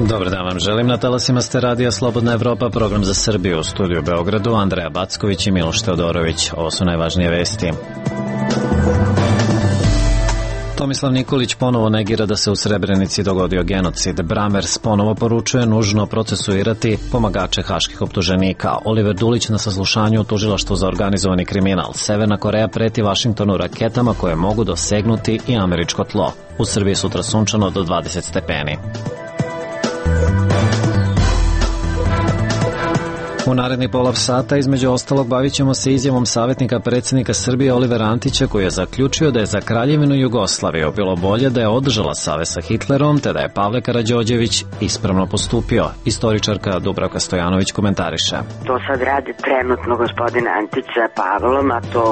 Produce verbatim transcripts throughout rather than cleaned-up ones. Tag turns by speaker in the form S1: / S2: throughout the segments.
S1: Dobar dan vam želim, na talasima ste Radija Slobodna Evropa, program za Srbiju, u studiju u Beogradu, Andreja Backović i Miloš Teodorović. Ovo su najvažnije vesti. Tomislav Nikolić ponovo negira da se u Srebrenici dogodio genocid. Bramers ponovo poručuje nužno procesuirati pomagače haških optuženika. Oliver Dulić na saslušanju u tužilaštvu za organizovani kriminal. Severna Koreja preti Vašingtonu raketama koje mogu dosegnuti i američko tlo. U Srbiji sutra sunčano do dvadeset stepeni. U naredni polav sata, između ostalog, bavit ćemo se izjavom savjetnika predsjednika Srbije Olivera Antića, koji je zaključio da je za Kraljevinu Jugoslaviju bilo bolje da je održala savez sa Hitlerom, te da je Pavle Karađorđević ispravno postupio. Istoričarka Dubravka Stojanović komentariše.
S2: To sad radi trenutno gospodin Antić sa Pavlom, a to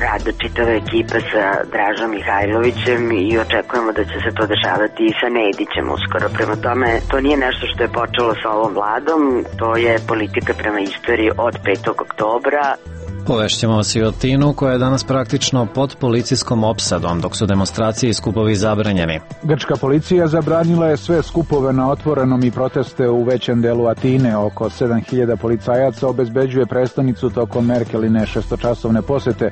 S2: rade čitava ekipa sa Dražom Mihajlovićem i očekujemo da će se to dešavati i sa Nedićem uskoro. Prema tome, to nije nešto što je počelo sa ovom vladom, to je politika prema istoriji od petog oktobra.
S1: Povešćemo vas i o Tinu, koja je danas praktično pod policijskom opsadom, dok su demonstracije i skupovi zabranjeni.
S3: Grčka policija zabranila je sve skupove na otvorenom i proteste u većem delu Atine. Oko sedam hiljada policajaca obezbeđuje prestonicu tokom Merkeline šestočasovne posete.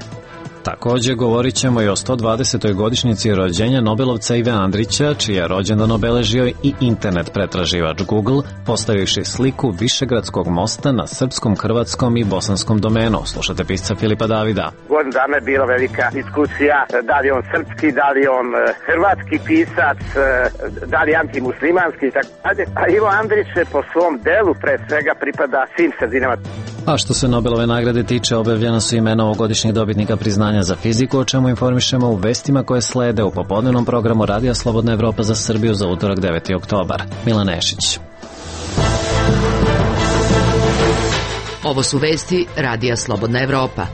S1: Također govorit ćemo i o sto dvadesetoj godišnjici rođenja Nobelovca Ive Andrića, čiji je rođendan obeležio i internet pretraživač Google, postavivši sliku Višegradskog mosta na srpskom, hrvatskom i bosanskom domenu. Slušate pisca Filipa Davida.
S4: Godinu dana je bila velika diskusija, da li on srpski, da li on hrvatski pisac, da li antimuslimanski, tako dalje. A Ivo Andrić po svom delu pre svega pripada svim sredinama.
S1: A što se Nobelove nagrade tiče, objavljena su imena ovogodišnjih dobitnika priznanja za fiziku, o čemu informišemo u vestima koje slede u popodnevnom programu Radija Slobodna Evropa za Srbiju za utorak deveti oktobar. Milan Nešić.
S5: Ovo su vesti Radija Slobodna Evropa.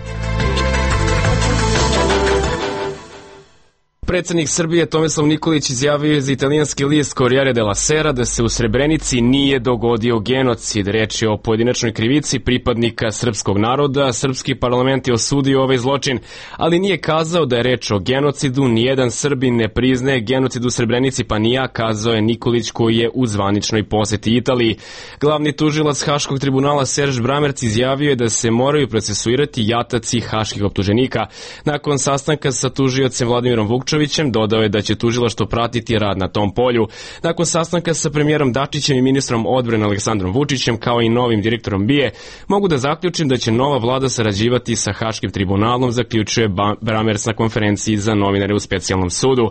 S6: Predsjednik Srbije Tomislav Nikolić izjavio je za italijanski list Corriere della Sera da se u Srebrenici nije dogodio genocid. Reč je o pojedinačnoj krivici pripadnika srpskog naroda. Srpski parlament je osudio ovaj zločin, ali nije kazao da je reč o genocidu. Nijedan Srbin ne priznaje genocid u Srebrenici, pa ni ja, kazao je Nikolić, koji je u zvaničnoj poseti Italiji. Glavni tužilac Haškog tribunala Serž Bramerc izjavio je da se moraju procesuirati jataci haških optuženika. Nakon sastanka sa tužiocem Vladimirom Vukčevićem dodao je da će tužilaštvo pratiti rad na tom polju. Nakon sastanka sa premijerom Dačićem i ministrom odbrane Aleksandrom Vučićem, kao i novim direktorom B I A, mogu da zaključim da će nova vlada sarađivati sa Haškim tribunalom, zaključuje Bramers na konferenciji za novinare u specijalnom sudu.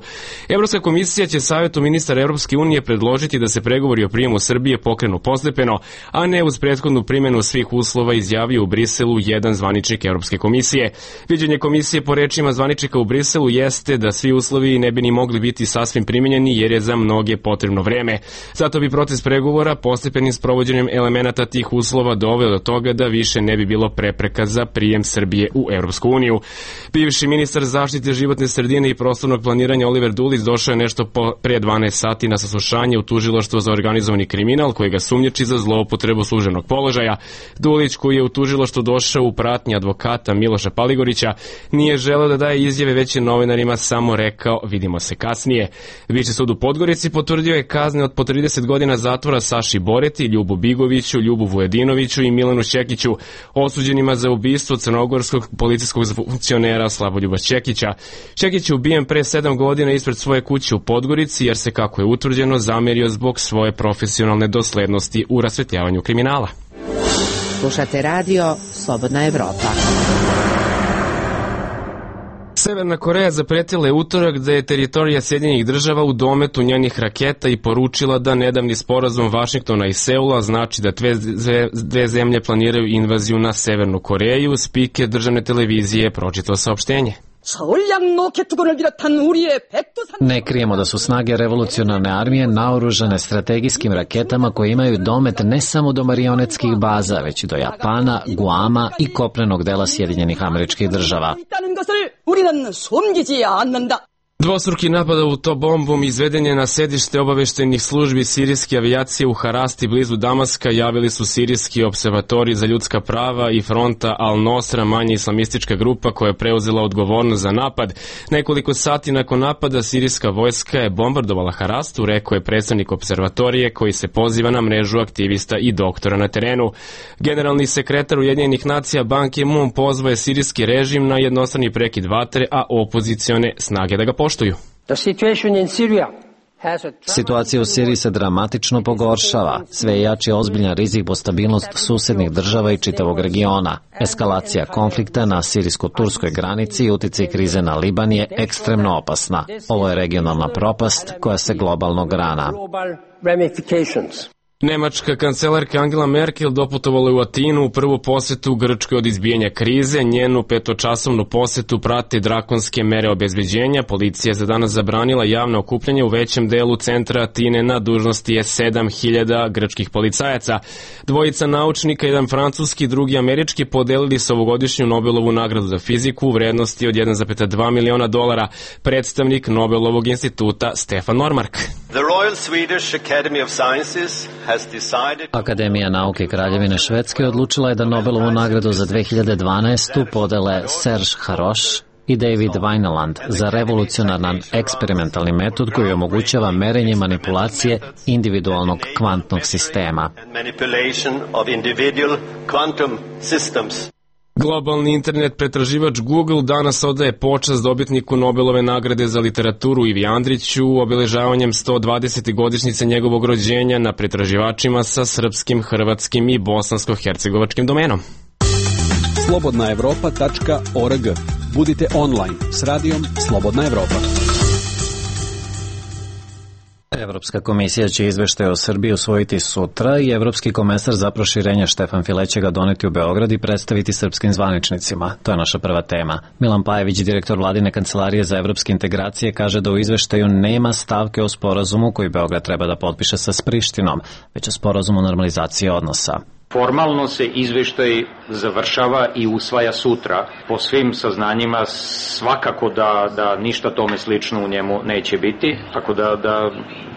S6: Evropska komisija će savjetu ministara Evropske unije predložiti da se pregovori o prijemu Srbije pokrenu postepeno, a ne uz prethodnu primjenu svih uslova, izjavio u Briselu jedan zvaničnik Evropske komisije. Viđenje komisije po rečima zvaničnika u Briselu jeste da svi uslovi ne bi ni mogli biti sasvim primjenjeni, jer je za mnoge potrebno vreme. Zato bi proces pregovora postepenim sprovođenjem elemenata tih uslova doveo do toga da više ne bi bilo prepreka za prijem Srbije u Evropsku uniju. Bivši ministar zaštite životne sredine i prostornog planiranja Oliver Dulić došao je nešto po pre dvanaest sati na saslušanje u tužilaštvo za organizovani kriminal, koji ga sumnjači za zloupotrebu službenog položaja. Dulić, koji je u tužilaštvo došao u pratnji advokata Miloša Paligorića, nije želeo da daje izjave, već je novinarima samo rekao vidimo se kasnije. Viši sud u Podgorici potvrdio je kazne od po trideset godina zatvora Saši Boreti, Ljubu Bigoviću, Ljubu Vujedinoviću i Milanu Čekiću, osuđenima za ubistvo crnogorskog policijskog funkcionera Slavoljuba Čekića. Čekić je ubijen pre sedam godina ispred svoje kuće u Podgorici, jer se, kako je utvrđeno, zamerio zbog svoje profesionalne doslednosti u rasvetljavanju kriminala.
S5: Slušate radio Slobodna Evropa.
S6: Severna Koreja zapretila je utorak da je teritorija Sjedinjenih država u dometu njenih raketa i poručila da nedavni sporazum Vašingtona i Seula znači da dve, dve zemlje planiraju invaziju na Severnu Koreju. Spiker državne televizije je pročitao saopštenje.
S1: Ne krijemo da su snage revolucionarne armije naoružane strategijskim raketama koje imaju domet ne samo do marionetskih baza, već i do Japana, Guama i kopnenog dela Sjedinjenih Američkih Država.
S6: Dvostruki napad autobombom izveden je na sedište obaveštajnih službi sirijske avijacije u Harasti blizu Damaska, javili su sirijski observatori za ljudska prava i fronta Al-Nosra, manje islamistička grupa koja je preuzela odgovornost za napad. Nekoliko sati nakon napada sirijska vojska je bombardovala Harastu, rekao je predstavnik observatorije koji se poziva na mrežu aktivista i doktora na terenu. Generalni sekretar Ujedinjenih nacija Ban Ki-moon pozvao je sirijski režim na jednostrani prekid vatre, a opozicione snage da ga poštuju.
S1: Situacija u Siriji se dramatično pogoršava. Sve je jači ozbiljan rizik po stabilnost susednih država i čitavog regiona. Eskalacija konflikta na sirijsko-turskoj granici i uticaj krize na Liban je ekstremno opasna. Ovo je regionalna propast koja se globalno grana.
S6: Nemačka kancelarka Angela Merkel doputovala je u Atinu u prvu posetu Grčkoj od izbijanja krize. Njenu petočasovnu posetu prate drakonske mere obezbeđenja. Policija je za danas zabranila javno okupljanje u većem delu centra Atine, na dužnosti je sedam hiljada grčkih policajaca. Dvojica naučnika, jedan francuski, drugi američki, podelili su ovogodišnju Nobelovu nagradu za fiziku u vrednosti od jedan zarez dva miliona dolara. Predstavnik Nobelovog instituta Stefan Normark.
S7: The Royal Swedish Academy of Sciences
S1: Akademija nauke Kraljevine Švedske odlučila je da Nobelovu nagradu za dve hiljade dvanaestu podele Serge Haroš i David Weineland za revolucionaran eksperimentalni metod koji omogućava merenje manipulacije individualnog kvantnog sistema.
S6: Globalni internet pretraživač Google danas odaje počast dobitniku Nobelove nagrade za literaturu Ivi Andriću obeležavanjem sto dvadesete godišnjice njegovog rođenja na pretraživačima sa srpskim, hrvatskim i bosansko-hercegovačkim domenom.
S8: slobodna evropa tačka org. Budite online s radijom Slobodna Evropa.
S1: Evropska komisija će izveštaj o Srbiji usvojiti sutra i evropski komesar za proširenje Štefan File će ga doneti u Beograd i predstaviti srpskim zvaničnicima. To je naša prva tema. Milan Pajević, direktor vladine kancelarije za evropske integracije, kaže da u izveštaju nema stavke o sporazumu koji Beograd treba da potpiše sa Prištinom, već o sporazumu normalizacije odnosa.
S9: Formalno se izveštaj završava i usvaja sutra. Po svim saznanjima svakako da, da ništa tome slično u njemu neće biti, tako da, da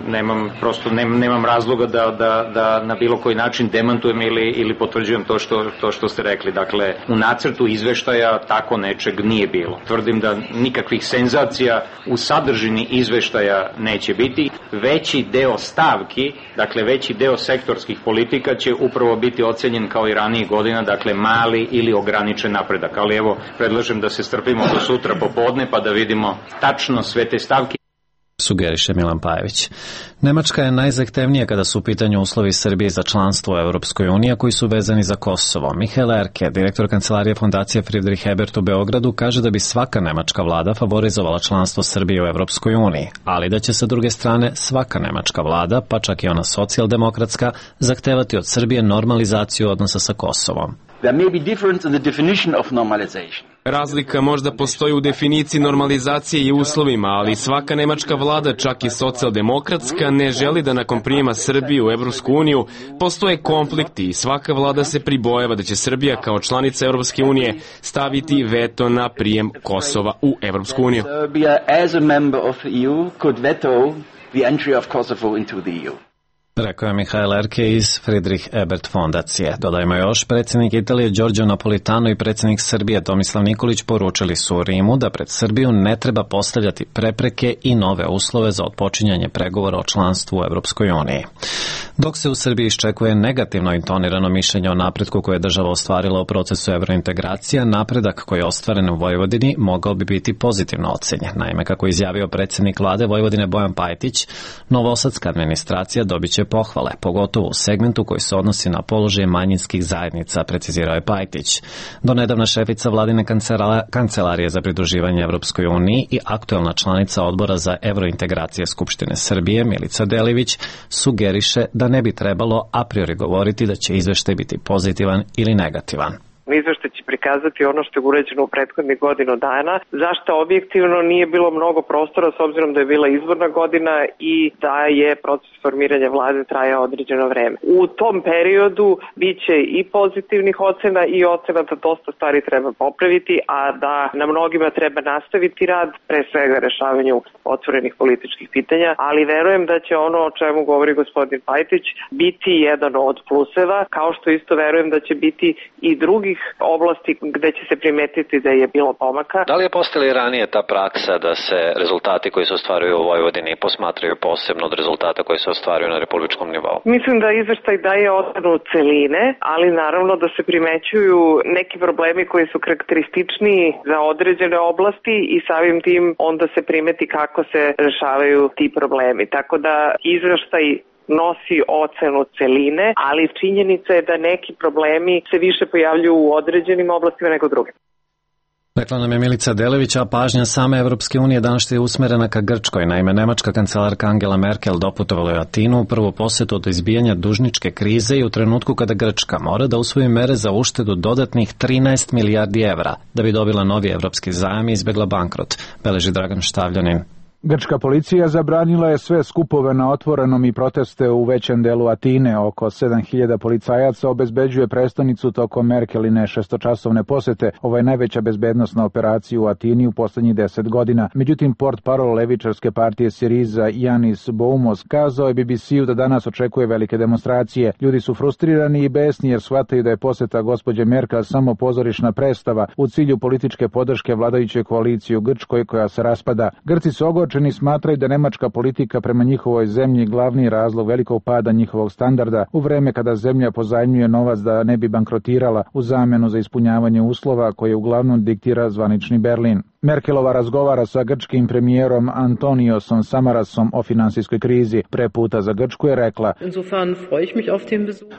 S9: nemam, prosto nemam, nemam razloga da, da, da na bilo koji način demantujem ili, ili potvrđujem to što, to što ste rekli. Dakle, u nacrtu izveštaja tako nečeg nije bilo. Tvrdim da nikakvih senzacija u sadržini izveštaja neće biti. Veći deo stavki, dakle veći deo sektorskih politika će upravo biti ocenjen kao i ranijih godina, dakle mali ili ograničen napredak. Ali evo, predlažem da se strpimo do sutra popodne pa da vidimo tačno sve te stavke.
S1: Sugeriše Milan Pajević. Nemačka je najzahtevnija kada su u pitanju uslovi Srbije za članstvo u Evropskoj uniji, koji su vezani za Kosovo. Mihael Erke, direktor kancelarije Fondacije Friedrich Ebert u Beogradu, kaže da bi svaka nemačka vlada favorizovala članstvo Srbije u Evropskoj uniji, ali da će sa druge strane svaka nemačka vlada, pa čak i ona socijaldemokratska, zahtevati od Srbije normalizaciju odnosa sa Kosovom.
S10: There may be difference in the definition of normalization.
S6: Razlika možda postoji u definiciji normalizacije i uslovima, ali svaka nemačka vlada, čak i socijaldemokratska, ne želi da nakon prijema Srbije u Evropsku uniju postoje konflikti i svaka vlada se pribojava da će Srbija kao članica Evropske unije staviti veto na prijem Kosova u Evropsku uniju.
S10: Serbia as a member of the E U could veto the entry of Kosovo into the E U.
S1: Rekao je Mihael Erke iz Friedrich Ebert fondacije. Dodajmo još, predsjednik Italije Giorgio Napolitano i predsjednik Srbije Tomislav Nikolić poručili su u Rimu da pred Srbiju ne treba postavljati prepreke i nove uslove za otpočinjanje pregovora o članstvu u Evropskoj uniji. Dok se u Srbiji iščekuje negativno intonirano mišljenje o napretku koje je država ostvarila u procesu evrointegracija, napredak koji je ostvaren u Vojvodini mogao bi biti pozitivno ocenjen. Naime, kako je izjavio predsjednik vlade Vojvodine Bojan Pajtić, novosadska administracija dobit će pohvale, pogotovo u segmentu koji se odnosi na položaje manjinskih zajednica, precizirao je Pajtić. Donedavna šefica vladine kancelarije za pridruživanje Evropskoj uniji i aktuelna članica odbora za evrointegracije Skupštine Srbije, Milica Delivić, sugeriše da ne bi trebalo a priori govoriti da će izveštaj biti pozitivan ili negativan.
S11: Izveštaj će prikazati ono što je urađeno u prethodnih godinu dana, zašto objektivno nije bilo mnogo prostora s obzirom da je bila izborna godina i da je proces formiranja vlade trajao određeno vreme. U tom periodu biće i pozitivnih ocena i ocena da dosta stvari treba popraviti, a da na mnogima treba nastaviti rad, pre svega rešavanju otvorenih političkih pitanja, ali verujem da će ono o čemu govori gospodin Pajtić biti jedan od pluseva, kao što isto verujem da će biti i drugih oblasti gde će se primetiti da je bilo pomaka.
S1: Da li je postala i ranije ta praksa da se rezultati koji se ostvaruju u Vojvodini posmatraju posebno od rezultata koji se ostvaruju na republičkom nivou?
S11: Mislim da izveštaj daje ocenu celine, ali naravno da se primećuju neki problemi koji su karakterističniji za određene oblasti i samim tim onda se primeti kako se rešavaju ti problemi. Tako da izveštaj nosi ocenu celine, ali činjenica je da neki problemi se više pojavljuju u određenim oblastima nego drugim.
S1: Rekla nam je Milica Delević, a pažnja same Evropske unije danas je usmerena ka Grčkoj. Naime, nemačka kancelarka Angela Merkel doputovala je u Atinu u prvu posetu od izbijanja dužničke krize i u trenutku kada Grčka mora da usvoji mere za uštedu dodatnih trinaest milijardi evra da bi dobila novi evropski zajam i izbegla bankrot, beleži Dragan Štavljanin.
S3: Grčka policija zabranila je sve skupove na otvorenom i proteste u većem delu Atine. Oko sedam hiljada policajaca obezbeđuje prestonicu tokom Merkeline šestočasovne posete. Ovo je najveća bezbednosna operacija u Atini u poslednjih deset godina. Međutim, portparol levičarske partije Siriza Janis Boumos kazao je B B C-u da danas očekuje velike demonstracije. Ljudi su frustrirani i besni jer shvataju da je poseta gospođe Merkel samo pozorišna predstava u cilju političke podrške vladajućoj koaliciji u Grčkoj koja se raspada. Grci su ogorčeni Čini smatraju da nemačka politika prema njihovoj zemlji glavni razlog velikog pada njihovog standarda u vreme kada zemlja pozajmljuje novac da ne bi bankrotirala u zamenu za ispunjavanje uslova koje uglavnom diktira zvanični Berlin. Merkelova razgovara sa grčkim premijerom Antoniosom Samarasom o finansijskoj krizi. Pre puta za Grčku je rekla: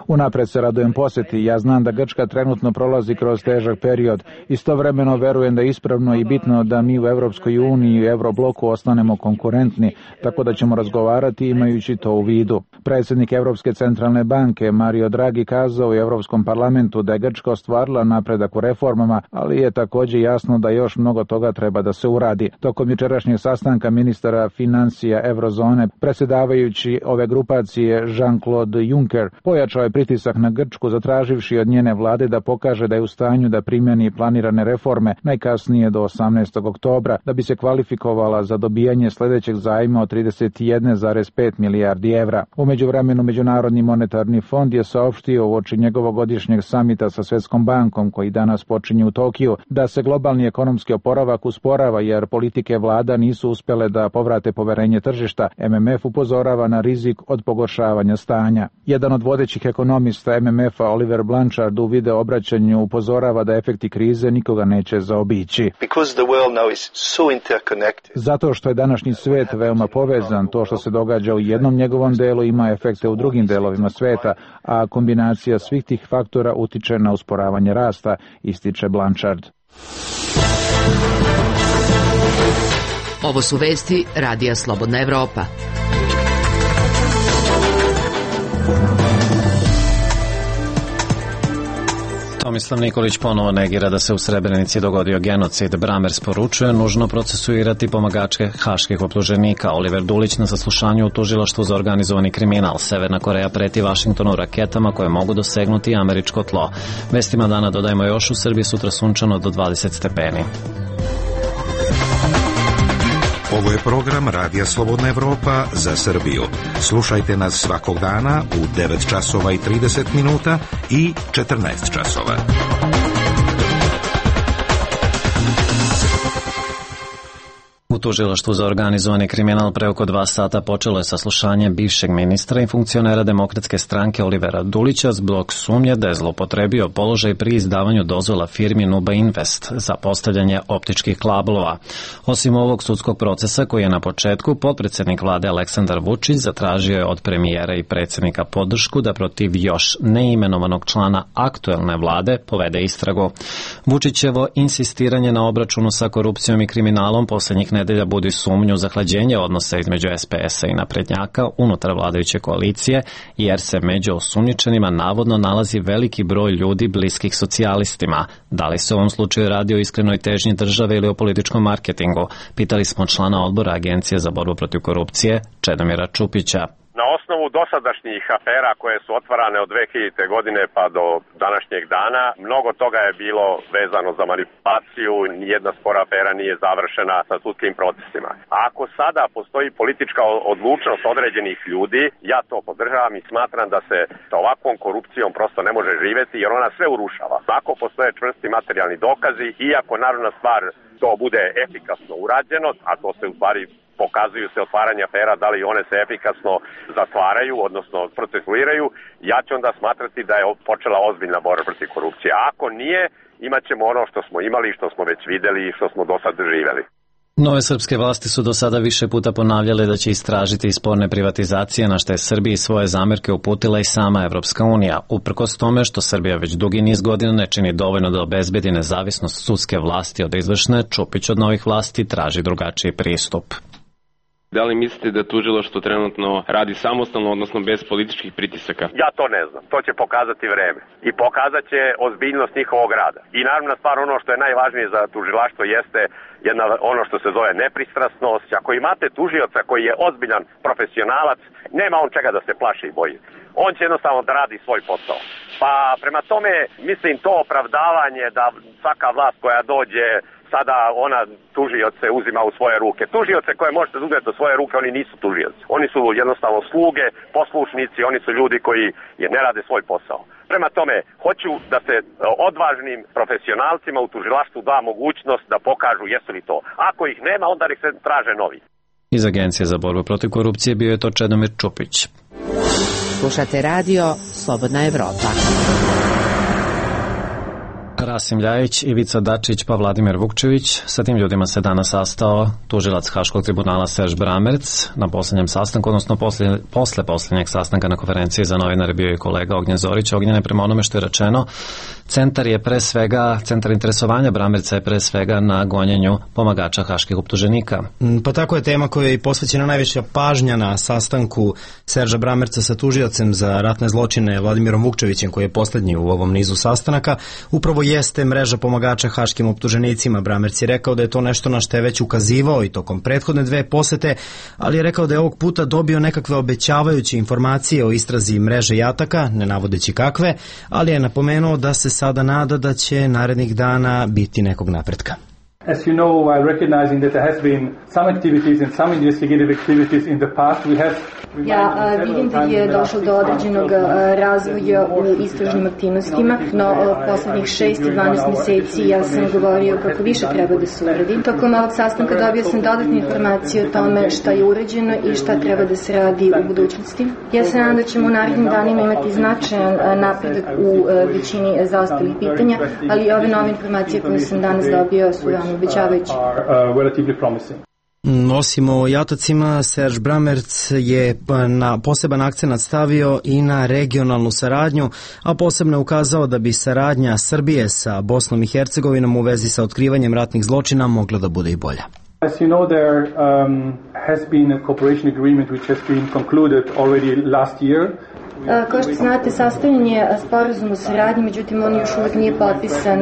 S3: Unapred se radujem poseti, ja znam da Grčka trenutno prolazi kroz težak period. Istovremeno verujem da je ispravno i bitno da mi u Evropskoj uniji i Eurobloku ostanemo konkurentni, tako da ćemo razgovarati imajući to u vidu. Predsjednik Evropske centralne banke Mario Draghi kazao u Evropskom parlamentu da je Grčka ostvarila napredak u reformama, ali je također jasno da još mnogo toga treba da se uradi. Tokom jučerašnjeg sastanka ministara financija Eurozone, predsjedavajući ove grupacije Jean-Claude Juncker pojačao je pritisak na Grčku zatraživši od njene vlade da pokaže da je u stanju da primjeni planirane reforme najkasnije do osamnaestog oktobra da bi se kvalifikovala za dobijanje sljedećeg zajma od trideset jedan zarez pet milijardi evra. U međuvremenu Međunarodni monetarni fond je saopštio uoči njegovog godišnjeg samita sa Svjetskom bankom koji danas počinje u Tokiju da se globalni ekonomski oporavak usporava jer politike vlada nisu uspjele da povrate poverenje tržišta. M M F upozorava na rizik od pogoršavanja stanja. Jedan od vodećih ekonomista M M F-a Oliver Blanchard u video obraćanju upozorava da efekti krize nikoga neće zaobići. Zato što je današnji svet veoma povezan, to što se događa u jednom njegovom delu ima efekte u drugim delovima sveta, a kombinacija svih tih faktora utiče na usporavanje rasta, ističe Blanchard.
S5: Ovo su vesti Radija Slobodna Evropa.
S1: Tomislav Nikolić ponovo negira da se u Srebrenici dogodio genocid. Bramers poručuje nužno procesuirati pomagačke haških optuženika. Oliver Dulić na saslušanju u tužilaštvu za organizovani kriminal. Severna Koreja preti Vašingtonu raketama koje mogu dosegnuti američko tlo. Vestima dana dodajemo još u Srbiji sutra sunčano do dvadeset stepeni.
S12: Ovo je program Radija Slobodna Evropa za Srbiju. Slušajte nas svakog dana u devet časova i trideset minuta i četrnaest časova.
S1: U tužilaštvu za organizovani kriminal pre oko dva sata počelo je saslušanje bivšeg ministra i funkcionera Demokratske stranke Olivera Dulića zbog sumnje da je zloupotrebio položaj pri izdavanju dozvola firmi Nuba Invest za postavljanje optičkih kablova. Osim ovog sudskog procesa koji je na početku, potpredsednik vlade Aleksandar Vučić zatražio je od premijera i predsjednika podršku da protiv još neimenovanog člana aktuelne vlade povede istragu. Vučićevo insistiranje na obračunu sa korupcijom i kriminalom poslednjih nedelja nedelja budi sumnju zahlađenje odnosa između S P S-a i naprednjaka unutar vladajuće koalicije, jer se među osumnjičenima navodno nalazi veliki broj ljudi bliskih socijalistima. Da li se u ovom slučaju radi o iskrenoj težnji države ili o političkom marketingu? Pitali smo člana odbora Agencije za borbu protiv korupcije, Čedomira Čupića.
S13: Na osnovu dosadašnjih afera koje su otvarane od dve hiljadite godine pa do današnjeg dana, mnogo toga je bilo vezano za manipulaciju, nijedna spora afera nije završena sa sudskim procesima. A ako sada postoji politička odlučnost određenih ljudi, ja to podržavam i smatram da se sa ovakvom korupcijom prosto ne može živeti jer ona sve urušava. Ako postoje čvrsti materijalni dokazi i ako narodna stvar to bude efikasno urađeno, a to se u stvari pokazuju se otvaranje afera, da li one se efikasno zatvaraju, odnosno procesuiraju, ja ću onda smatrati da je počela ozbiljna borba protiv korupcije. A ako nije, imat ćemo ono što smo imali, što smo već videli i što smo do sad živeli.
S1: Nove srpske vlasti su do sada više puta ponavljale da će istražiti sporne privatizacije, na što je Srbiji svoje zamerke uputila i sama Evropska unija, uprkos tome što Srbija već dugi niz godina ne čini dovoljno da obezbedi nezavisnost sudske vlasti od izvršne. Čupić od novih vlasti traži drugačiji pristup.
S6: Da li mislite da tužilaštvo trenutno radi samostalno, odnosno bez političkih pritisaka?
S13: Ja to ne znam. To će pokazati vreme. I pokazat će ozbiljnost njihovog rada. I naravno stvar, ono što je najvažnije za tužilaštvo jeste jedna, ono što se zove nepristrasnost. Ako imate tužioca koji je ozbiljan profesionalac, nema on čega da se plaši i boji. On će jednostavno da radi svoj posao. Pa prema tome, mislim, to opravdavanje da svaka vlast koja dođe sada ona tužioce uzima u svoje ruke. Tužioce koje možete uzeti u svoje ruke, oni nisu tužioci. Oni su jednostavno sluge, poslušnici, oni su ljudi koji ne rade svoj posao. Prema tome, hoću da se odvažnim profesionalcima u tužilaštvu da mogućnost da pokažu jesu li to. Ako ih nema, onda ih se traže novi.
S1: Iz Agencije za borbu protiv korupcije bio je to Čedomir Čupić.
S5: Slušate radio Slobodna Evropa.
S1: Rasim Ljajić, Ivica Dačić pa Vladimir Vukčević. Sa tim ljudima se danas sastao tužilac Haškog tribunala Serž Bramerc. Na poslednjem sastanku, odnosno posle, posle poslednjeg sastanka na konferenciji za novinare bio je kolega Ognjen Zorić. Ognjene, prema onome što je rečeno, centar je pre svega, centar interesovanja Bramerca je pre svega na gonjenju pomagača haških optuženika.
S14: Pa tako je tema koja je posvećena najviša pažnja na sastanku Serža Bramerca sa tužiocem za ratne zločine Vladimirom Vukčevićem, koji je poslednji u ovom nizu sastanaka. Upravo jeste mreža pomagača haškim optuženicima. Bramerc je rekao da je to nešto na što je već ukazivao i tokom prethodne dve posete, ali je rekao da je ovog puta dobio nekakve obećavajuće informacije o istrazi mreže jataka, ne navodeći kakve, ali je napomenuo da se sada nada da će narednih dana biti nekog napretka.
S15: As you know, while recognizing that there has been some activities and some investigative activities in the past, we have
S16: Ja vidim da je došlo do određenog razvoja u istražnim aktivnostima, no poslednjih šest i dvanaest meseci ja sam govorio kako više treba da se uradi. Tokom ovog sastanka dobio sam dodatne informacije o tome šta je urađeno i šta treba da se radi u budućnosti. Ja se nadam da ćemo u narednim danima imati značajan napredak u većini zaostalih pitanja, ali ove nove informacije koje sam danas dobio su veoma obećavajuće.
S14: Osim o jatacima, Serž Bramerc je na poseban akcenat stavio i na regionalnu saradnju, a posebno je ukazao da bi saradnja Srbije sa Bosnom i Hercegovinom u vezi sa otkrivanjem ratnih zločina mogla da bude i bolja.
S15: As you know, there um, has been a cooperation agreement which has been concluded already last year.
S16: Kao što znate, sastavljen je sporazum o saradnji, međutim on još uvijek nije potpisan.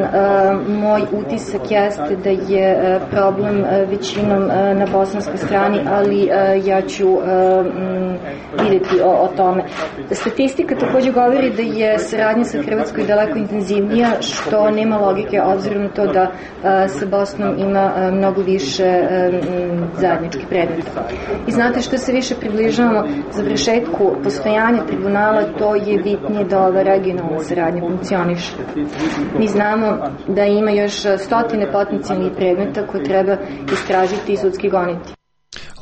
S16: Moj utisak jeste da je problem većinom na bosanskoj strani, ali ja ću vidjeti o, o tome. Statistika također govori da je saradnja sa Hrvatskoj daleko intenzivnija, što nema logike obzirom na to da sa Bosnom ima mnogo više zajedničkih predmeta. I znate, što se više približavamo završetku postojanja tribunala, to je bitnije da ova regionalna saradnja funkcioniše. Mi znamo da ima još stotine potencijalnih predmeta koje treba istražiti i sudski goniti.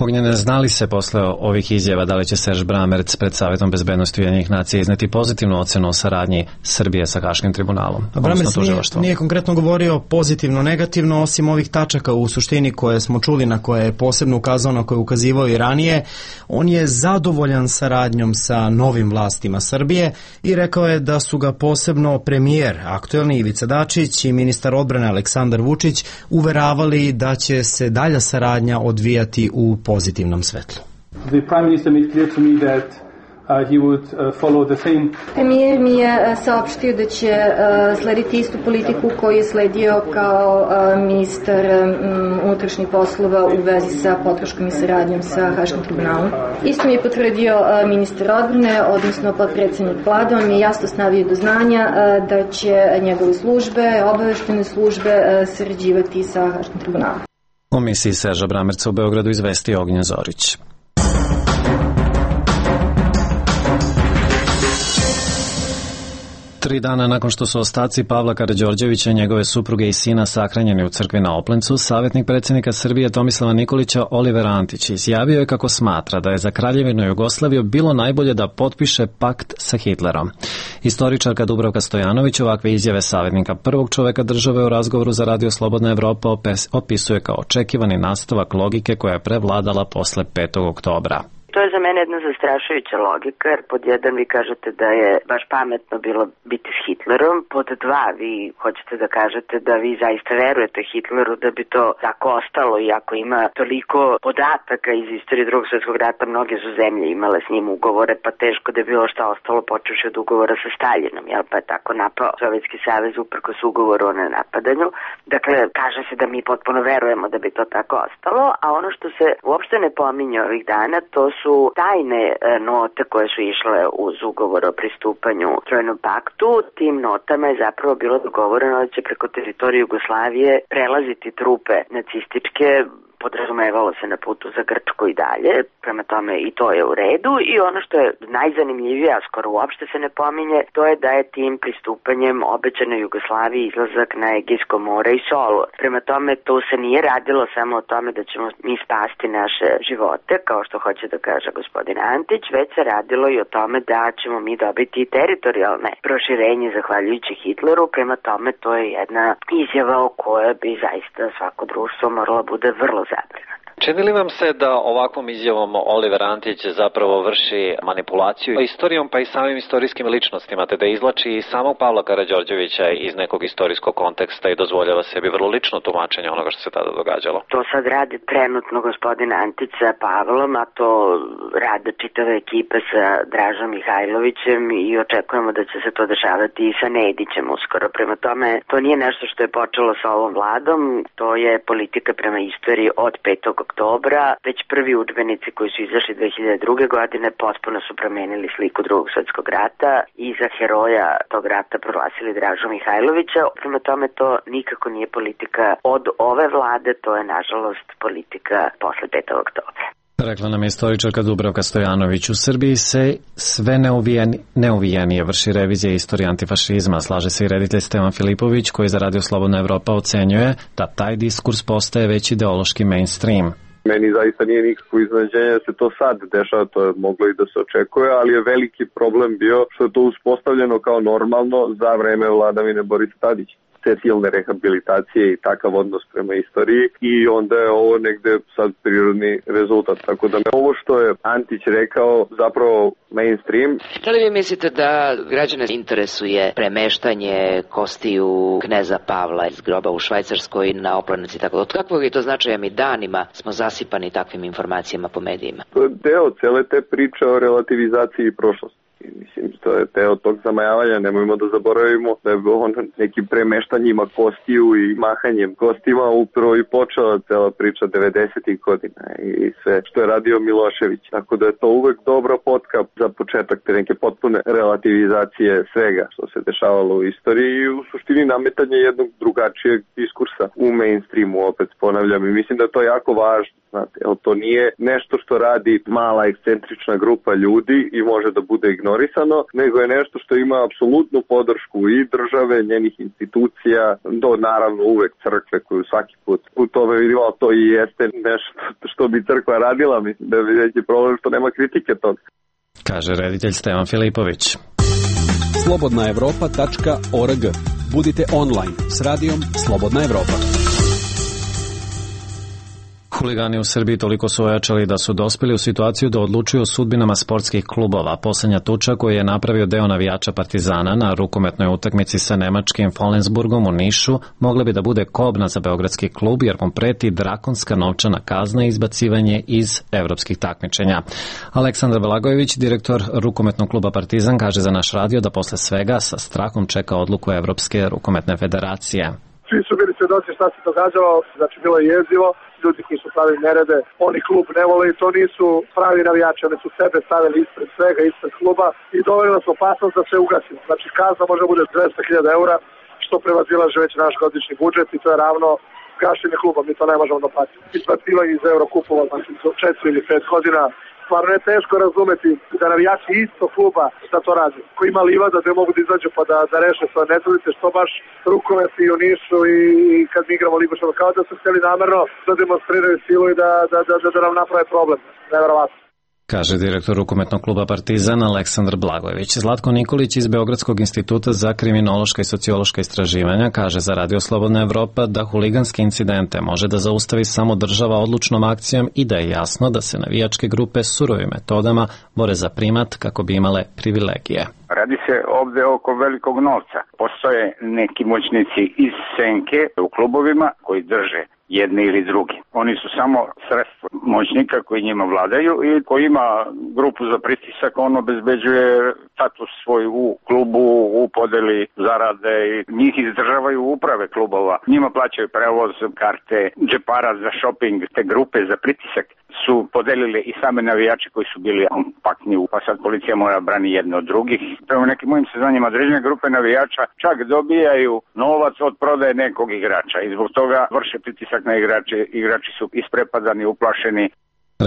S1: Ognjene, znali se posle ovih izjava da li će Serž Bramerc pred Savetom bezbednosti Ujedinjenih nacija izneti pozitivnu ocenu o saradnji Srbije sa Haškim tribunalom?
S14: Bramerc nije, nije konkretno govorio pozitivno, negativno, osim ovih tačaka u suštini koje smo čuli, na koje je posebno ukazao, na koje je ukazivao i ranije. On je zadovoljan saradnjom sa novim vlastima Srbije i rekao je da su ga posebno premijer aktuelni Ivica Dačić i ministar odbrane Aleksandar Vučić uveravali da će se dalja saradnja odvijati u pozitivnom svetlu.
S15: The prime minister made clear to me that uh, he would uh, follow the same.
S16: Premijer mi je saopštio da će uh, slediti istu politiku koju je sledio kao uh, ministar um, unutrašnjih poslova u vezi sa podrškom i saradnjom sa Haškim tribunalom. Isto mi je potvrdio uh, ministar odbrane, odnosno potpredsednik vlade. On mi je jasno stavio do znanja uh, da će njegove službe, obaveštene službe uh, sarađivati sa Haškim tribunalom.
S1: O misiji Serža Bramerca u Beogradu izvestio Ognjen Zorić. Tri dana nakon što su ostaci Pavla Karađorđevića i njegove supruge i sina sahranjeni u crkvi na Oplencu, savjetnik predsjednika Srbije Tomislava Nikolića Oliver Antić izjavio je kako smatra da je za Kraljevinu Jugoslaviju bilo najbolje da potpiše pakt sa Hitlerom. Istoričarka Dubravka Stojanović ovakve izjave savjetnika prvog čoveka države u razgovoru za Radio Slobodna Evropa opisuje kao očekivani nastavak logike koja je prevladala posle petog oktobra.
S2: To je za mene jedna zastrašujuća logika, jer pod jedan vi kažete da je baš pametno bilo biti s Hitlerom, pod dva vi hoćete da kažete da vi zaista verujete Hitleru da bi to tako ostalo, i ako ima toliko podataka iz istorije drugog svjetskog rata, mnoge su zemlje imale s njim ugovore, pa teško da je bilo šta ostalo počevši od ugovora sa Staljinom, jel, pa je tako napao Sovjetski savez uprkos ugovoru o nenapadanju. Dakle, kaže se da mi potpuno verujemo da bi to tako ostalo, a ono što se uopšte ne pominje ovih dana, to su su tajne note koje su išle uz ugovor o pristupanju Trojnom paktu. Tim notama je zapravo bilo dogovoreno da će preko teritorije Jugoslavije prelaziti trupe nacističke, podrazumevalo se na putu za Grčku i dalje, prema tome i to je u redu, i ono što je najzanimljivije, a skoro uopšte se ne pominje, to je da je tim pristupanjem obećano Jugoslaviji izlazak na Egejsko more i Solun. Prema tome to se nije radilo samo o tome da ćemo mi spasti naše živote, kao što hoće da kaže gospodin Antić, već se radilo i o tome da ćemo mi dobiti teritorijalne proširenje zahvaljujući Hitleru. Prema tome to je jedna izjava o kojoj bi zaista svako društvo moralo bude vrlo zabrinuto.
S17: Čini li vam se da ovakvom izjavom Oliver Antić zapravo vrši manipulaciju istorijom pa i samim istorijskim ličnostima, te da izvlači i samog Pavla Karađorđevića iz nekog istorijskog konteksta i dozvoljava sebi vrlo lično tumačenje onoga što se tada događalo?
S2: To sad radi trenutno gospodin Antić sa Pavlom, a to rade čitave ekipe sa Dražom Mihajlovićem i očekujemo da će se to dešavati i sa Nedićem uskoro. Prema tome, to nije nešto što je počelo sa ovom vladom, to je politika prema istoriji od petog oktobra. Već prvi udžbenici koji su izašli dve hiljade druge. godine potpuno su promenili sliku drugog svjetskog rata i za heroja tog rata proglasili Dražu Mihajlovića. Prema tome to nikako nije politika od ove vlade, to je nažalost politika posle petog oktobra.
S1: Rekla nam je istoričarka Dubravka Stojanović. U Srbiji se sve neuvijeni, neuvijenije vrši revizija istorije antifašizma. Slaže se i reditelj Stevan Filipović, koji za Radio Slobodna Evropa ocenjuje da taj diskurs postaje već ideološki mainstream.
S18: Meni zaista nije nikakvo iznenađenje da se to sad dešava, to je moglo i da se očekuje, ali je veliki problem bio što je to uspostavljeno kao normalno za vreme vladavine Borisa Tadića. Te silne rehabilitacije i takav odnos prema istoriji, i onda je ovo negde sad prirodni rezultat. Tako da me ovo što je Antić rekao zapravo mainstream.
S19: Da li vi mislite da građane interesuje premeštanje kostiju kneza Pavla iz groba u Švajcarskoj na Oplenci? Tako, od kakvog je to značaja? Mi danima smo zasipani takvim informacijama po medijima.
S18: To je deo cele te priče o relativizaciji prošlosti. Mislim, to je teo tog zamajavanja, nemojmo da zaboravimo da je on nekim premeštanjima kostiju i mahanjem kostima upravo i počela cela priča devedesetih godina i sve što je radio Milošević. Tako da je to uvek dobra potka za početak te neke potpune relativizacije svega što se dešavalo u istoriji i u suštini nametanje jednog drugačijeg diskursa u mainstreamu, opet ponavljam, i mislim da je to jako važno. Znate, to nije nešto što radi mala ekscentrična grupa ljudi i može da bude ignorisano. sponzorisano, nego je nešto što ima apsolutnu podršku i države, njenih institucija, do naravno uvek crkve koju svaki put u tome vidimo, to i jeste nešto što bi crkva radila, mislim da je veći problem što nema kritike toga.
S1: Kaže reditelj Stevan Filipović.
S8: slobodna evropa tačka org. Budite online s radijom Slobodna Evropa.
S1: Huligani u Srbiji toliko su ojačali da su dospeli u situaciju da odlučuju o sudbinama sportskih klubova. Poslednja tuča koju je napravio deo navijača Partizana na rukometnoj utakmici sa nemačkim Flensburgom u Nišu mogla bi da bude kobna za beogradski klub jer mu preti drakonska novčana kazna i izbacivanje iz evropskih takmičenja. Aleksandar Blagojević, direktor rukometnog kluba Partizan, kaže za naš radio da posle svega sa strahom čeka odluku Evropske rukometne federacije.
S20: Svi su bili svedoci šta se događalo, znači bilo je jezivo, ljudi koji su pravili nerede, oni klub ne vole i to nisu pravi navijači, oni su sebe stavili ispred svega, ispred kluba i doveli nas opasnost da se ugasimo. Znači kazna može bude dvesta hiljada eura, što prevazilaže već naš godišnji budžet i to je ravno gašenje kluba, mi to ne možemo da platimo. Izbacivanje iz Eurokupova, znači četiri ili pet godina, stvarno je teško razumeti da navijači isto kluba šta to radi. Ko ima livada da mogu da izađu pa da, da reše svoje nezvodice, što baš rukometi u Nišu i, i kad mi igramo ligu što kao da su htjeli namerno da demonstriraju silu i da, da, da, da, da nam naprave problem. Neverovatno.
S1: Kaže direktor rukometnog kluba Partizan Aleksandar Blagojević. Zlatko Nikolić iz Beogradskog instituta za kriminološka i sociološka istraživanja kaže za Radio Slobodna Evropa da huliganske incidente može da zaustavi samo država odlučnom akcijom i da je jasno da se navijačke grupe surovim metodama bore za primat kako bi imale privilegije.
S21: Radi se ovde oko velikog novca. Postoje neki moćnici iz senke u klubovima koji drže jedni ili drugi. Oni su samo sredstvo moćnika koji njima vladaju i koji ima grupu za pritisak, on obezbeđuje status svoj u klubu, u podeli zarade i njih izdržavaju uprave klubova. Njima plaćaju prevoz, karte, džepara za shopping. Te grupe za pritisak su podelile i same navijači koji su bili kompaktni, pa sad policija mora brani jedno od drugih. Prema nekim mojim saznanjima određene grupe navijača čak dobijaju novac od prodaje nekog igrača i zbog toga vrše pritisak na igrače. Igrači su isprepadani, uplašeni.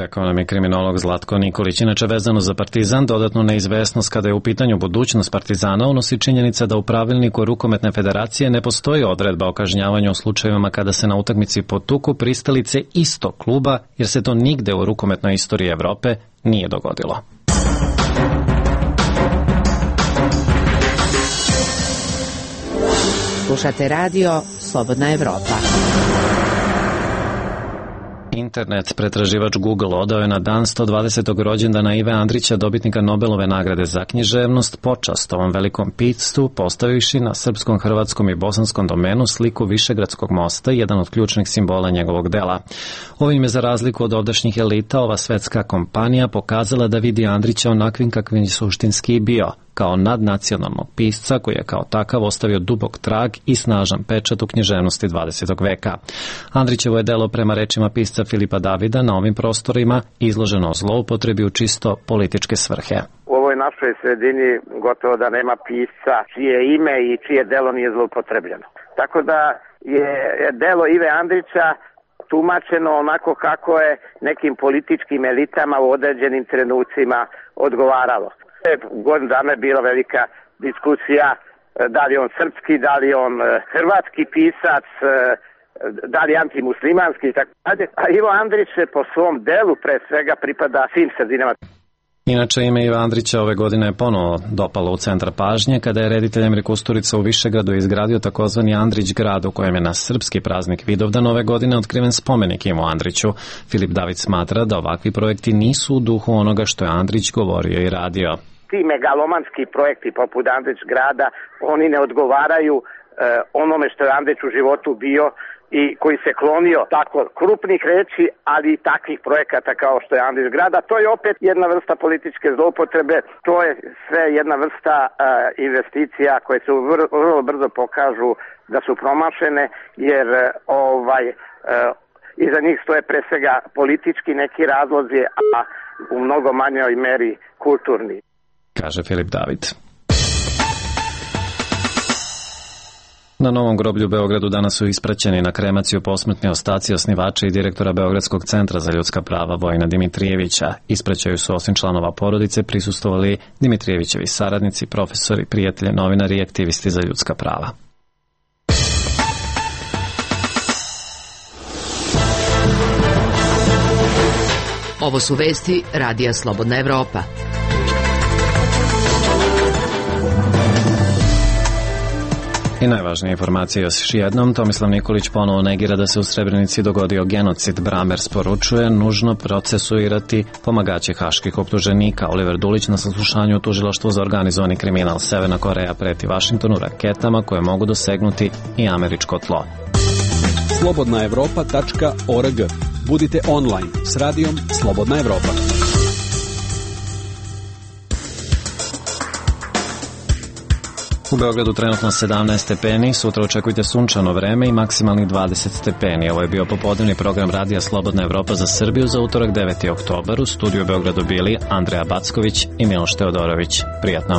S1: Rekao nam je kriminolog Zlatko Nikolić. Inače, vezano za Partizan, dodatnu neizvesnost kada je u pitanju budućnost Partizana unosi činjenica da u pravilniku rukometne federacije ne postoji odredba o kažnjavanju u slučajevima kada se na utakmici potuku pristalice istog kluba, jer se to nigde u rukometnoj istoriji Evrope nije dogodilo.
S5: Slušate radio Slobodna Evropa.
S1: Internet pretraživač Google odao je na dan sto dvadesetog rođendana Ive Andrića, dobitnika Nobelove nagrade za književnost, počast ovom velikom piscu, postavivši na srpskom, hrvatskom i bosanskom domenu sliku Višegradskog mosta, jedan od ključnih simbola njegovog dela. Ovim je, za razliku od ovdašnjih elita, ova svetska kompanija pokazala da vidi Andrića onakvim kakvim je suštinski bio, kao nadnacionalnog pisca koji je kao takav ostavio dubok trag i snažan pečat u književnosti dvadesetog veka. Andrićevo je delo, prema rečima pisca Filipa Davida, na ovim prostorima izloženo o zloupotrebi u čisto političke svrhe.
S4: U ovoj našoj sredini gotovo da nema pisca čije ime i čije delo nije zloupotrebljeno. Tako da je delo Ive Andrića tumačeno onako kako je nekim političkim elitama u određenim trenucima odgovaralo. Godinu dana je bila velika diskusija da li on srpski, da li on hrvatski pisac, da li antimuslimanski i tako dalje. A Ivo Andrić po svom delu pre svega pripada svim sredinama.
S1: Inače, ime Iva Andrića ove godine je ponovo dopalo u centar pažnje kada je reditelj Emir Kusturica u Višegradu izgradio takozvani Andrić grad, u kojem je na srpski praznik Vidovdan ove godine otkriven spomenik Ivu Andriću. Filip David smatra da ovakvi projekti nisu u duhu onoga što je Andrić govorio i radio.
S4: Ti megalomanski projekti poput Andrić grada, oni ne odgovaraju e, onome što je Andrić u životu bio i koji se klonio tako krupnih reči, ali i takvih projekata kao što je Andrić grada. To je opet jedna vrsta političke zloupotrebe, to je sve jedna vrsta e, investicija koje se vrlo, vrlo brzo pokažu da su promašene, jer e, ovaj e, iza njih stoje pre svega politički neki razlozi, a u mnogo manjoj meri kulturni.
S1: Kaže Filip David. Na Novom groblju u Beogradu danas su ispraćeni na kremaciju posmrtni ostaci osnivača i direktora Beogradskog centra za ljudska prava Vojina Dimitrijevića. Ispraćaju su osim članova porodice prisustvovali Dimitrijevićevi saradnici, profesori, prijatelji, novinari i aktivisti za ljudska prava.
S5: Ovo su vesti Radija Slobodna Evropa.
S1: I najvažnije informacije još jednom, Tomislav Nikolić ponovo negira da se u Srebrenici dogodio genocid. Bramers poručuje nužno procesuirati pomagače haških optuženika. Oliver Dulić na saslušanju u tužilaštvu za organizovani kriminal. Severna Koreja preti Vašingtonu raketama koje mogu dosegnuti i američko tlo.
S8: slobodna evropa tačka org. Budite online s radijom Slobodna Evropa.
S1: U Beogradu trenutno sedamnaest stepeni, sutra očekujte sunčano vreme i maksimalnih dvadeset stepeni. Ovo je bio popodnevni program Radija Slobodna Evropa za Srbiju za utorak deveti oktobar. U studiju u Beogradu bili Andreja Backović i Miloš Teodorović. Prijatno.